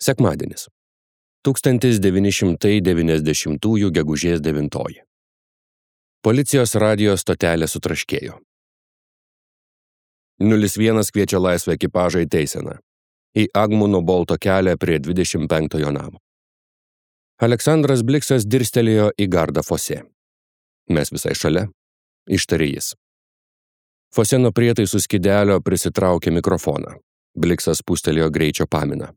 Sekmadienis. 1990 gegužės 9. Policijos radijo stotelė sutraškėjo. 01 kviečia laisvą ekipažą į Teiseną. Į Agmuno bolto kelią prie 25 namo. Aleksandras Bliksas dirstelėjo į gardą Fosė. Mes visai šalia, ištarė jis. Fosė nuo prietaisų skydelio prisitraukė mikrofoną. Bliksas pūstelėjo greičio paminą.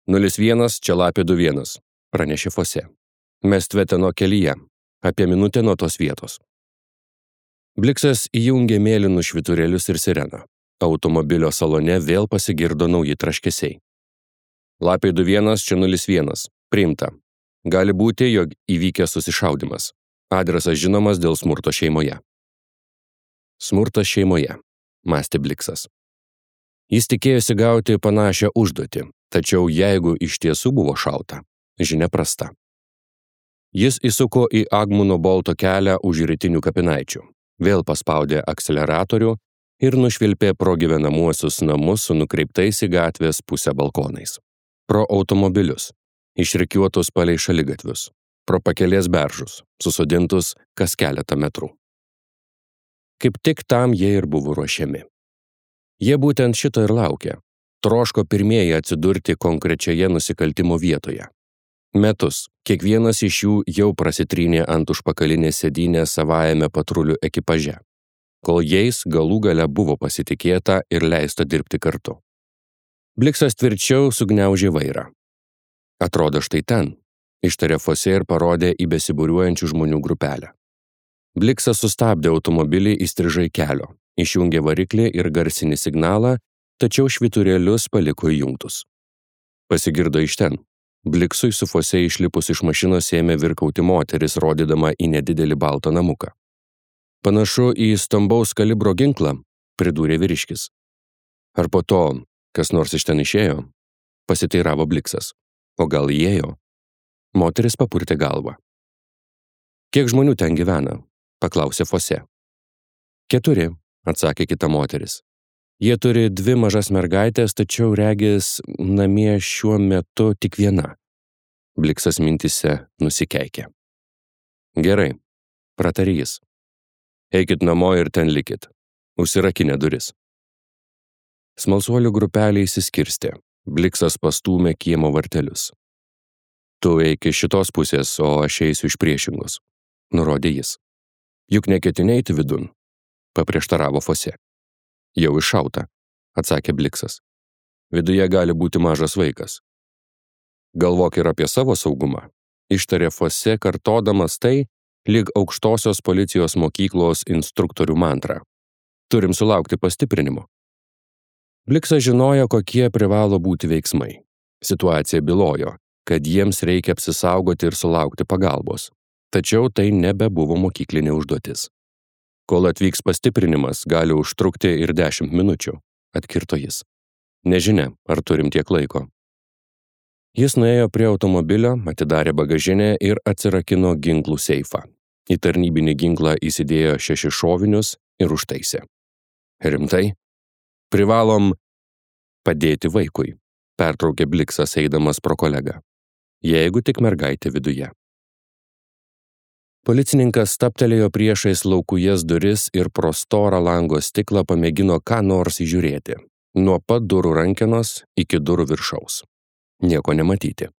01, čia lapė 21, pranešė Fosė. Mes Tveteno kelyje, apie minutę nuo tos vietos. Bliksas įjungė mėlynus švyturėlius ir sireną. Automobilio salone vėl pasigirdo nauji traškesiai. Lapė 21, čia 01, priimta. Gali būti, jog įvykęs susišaudymas. Adresas žinomas dėl smurto šeimoje. Smurtas šeimoje, mąstė Bliksas. Jis tikėjosi gauti panašią užduotį, tačiau jeigu iš tiesų buvo šauta, žinia prasta. Jis įsuko į Agmuno bolto kelią už rytinių kapinaičių, vėl paspaudė akceleratorių ir nušvilpė pro gyvenamuosius namus su nukreiptais į gatvės pusę balkonais. Pro automobilius, išrikiuotus palei šaligatvius, pro pakelės beržus, susodintus kas keletą metrų. Kaip tik tam jie ir buvo ruošiami. Jie būtent šito ir laukė. Troško pirmieji atsidurti konkrečioje nusikaltimo vietoje. Metus, kiekvienas iš jų jau prasitrynė ant užpakalinės sėdynės savajame patrulių ekipaže, kol jais galų gale buvo pasitikėta ir leista dirbti kartu. Bliksas tvirčiau sugniaužė vairą. Atrodo štai ten, ištarė Fosė ir parodė į besibūriuojančių žmonių grupelę. Bliksas sustabdė automobilį įstrižai kelio, išjungė variklį ir garsinį signalą, tačiau švyturėlius paliko įjungtus. Pasigirdo iš ten. Bliksui su Fosė išlipus iš mašinos ėmė virkauti moteris, rodydama į nedidelį baltą namuką. Panašu į stambaus kalibro ginklą, pridūrė vyriškis. Ar po to kas nors iš ten išėjo? Pasiteiravo Bliksas. O gal įėjo? Moteris papurtė galvą. Kiek žmonių ten gyvena? Paklausė Fosė. 4, atsakė kita moteris. Jie turi 2 mažas mergaitės, tačiau regis namie šiuo metu tik viena. Bliksas mintise nusikeikė. Gerai, pratarė jis. Eikit namo ir ten likit. Užsirakinę duris. Smalsuolių grupelė įsiskirstė. Bliksas pastūmė kiemo vartelius. Tu eik iš šitos pusės, o aš eisiu iš priešingos, nurodė jis. Juk neketinai eiti vidun, paprieštaravo Fosė. Jau iššauta, atsakė Bliksas. Viduje gali būti mažas vaikas. Galvok ir apie savo saugumą, ištarė Fosė, kartodamas tai, lyg aukštosios policijos mokyklos instruktorių mantrą. Turim sulaukti pastiprinimo. Bliksas žinojo, kokie privalo būti veiksmai. Situacija bylojo, kad jiems reikia apsisaugoti ir sulaukti pagalbos. Tačiau tai nebebuvo mokyklinė užduotis. Kol atvyks pastiprinimas, gali užtrukti ir 10 minučių, atkirto jis. Nežinia, ar turim tiek laiko. Jis nuėjo prie automobilio, atidarė bagažinę ir atsirakino ginklų seifą. Į tarnybinį ginklą įsidėjo 6 šovinius ir užtaisė. Rimtai? Privalom padėti vaikui, pertraukė Bliksas eidamas pro kolegą. Jeigu tik mergaitė viduje. Policininkas staptelėjo priešais laukujas duris ir pro storą lango stiklą pamėgino ką nors įžiūrėti. Nuo pat durų rankenos iki durų viršaus. Nieko nematyti.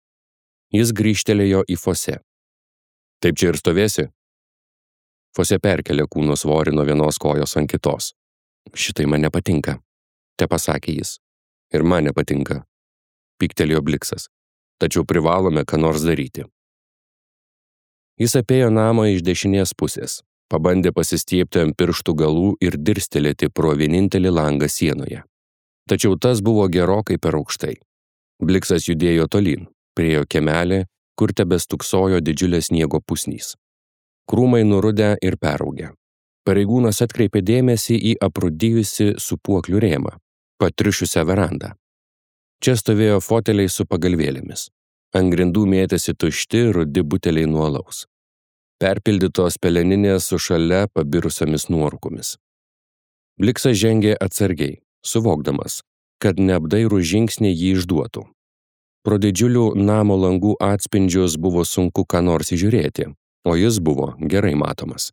Jis grįžtelėjo į Fosė. Taip čia ir stovėsi? Fosė perkelė kūno svorį nuo vienos kojos ant kitos. Šitai man nepatinka, te pasakė jis. Ir man nepatinka, pyktelėjo Bliksas. Tačiau privalome ką nors daryti. Jis apėjo namą iš dešinės pusės, pabandė pasistiepti ant pirštų galų ir dirstelėti pro vienintelį langą sienoje. Tačiau tas buvo gerokai per aukštai. Bliksas judėjo tolyn, priėjo kiemelį, kur tebestuksojo didžiulės sniego pusnys. Krūmai nurudę ir peraugę. Pareigūnas atkreipė dėmesį į aprūdijusi sūpuoklių rėmą, patriušiusią verandą. Čia stovėjo foteliai su pagalvėlėmis. Ant grindų mėtėsi tušti rudi buteliai nuo alaus. Perpildytos peleninės su šalia pabirusiomis nuorūkomis. Bliksas žengė atsargiai, suvokdamas, kad neapdairų žingsniai jį išduotų. Pro didžiulių namo langų atspindžius buvo sunku ką nors įžiūrėti, o jis buvo gerai matomas.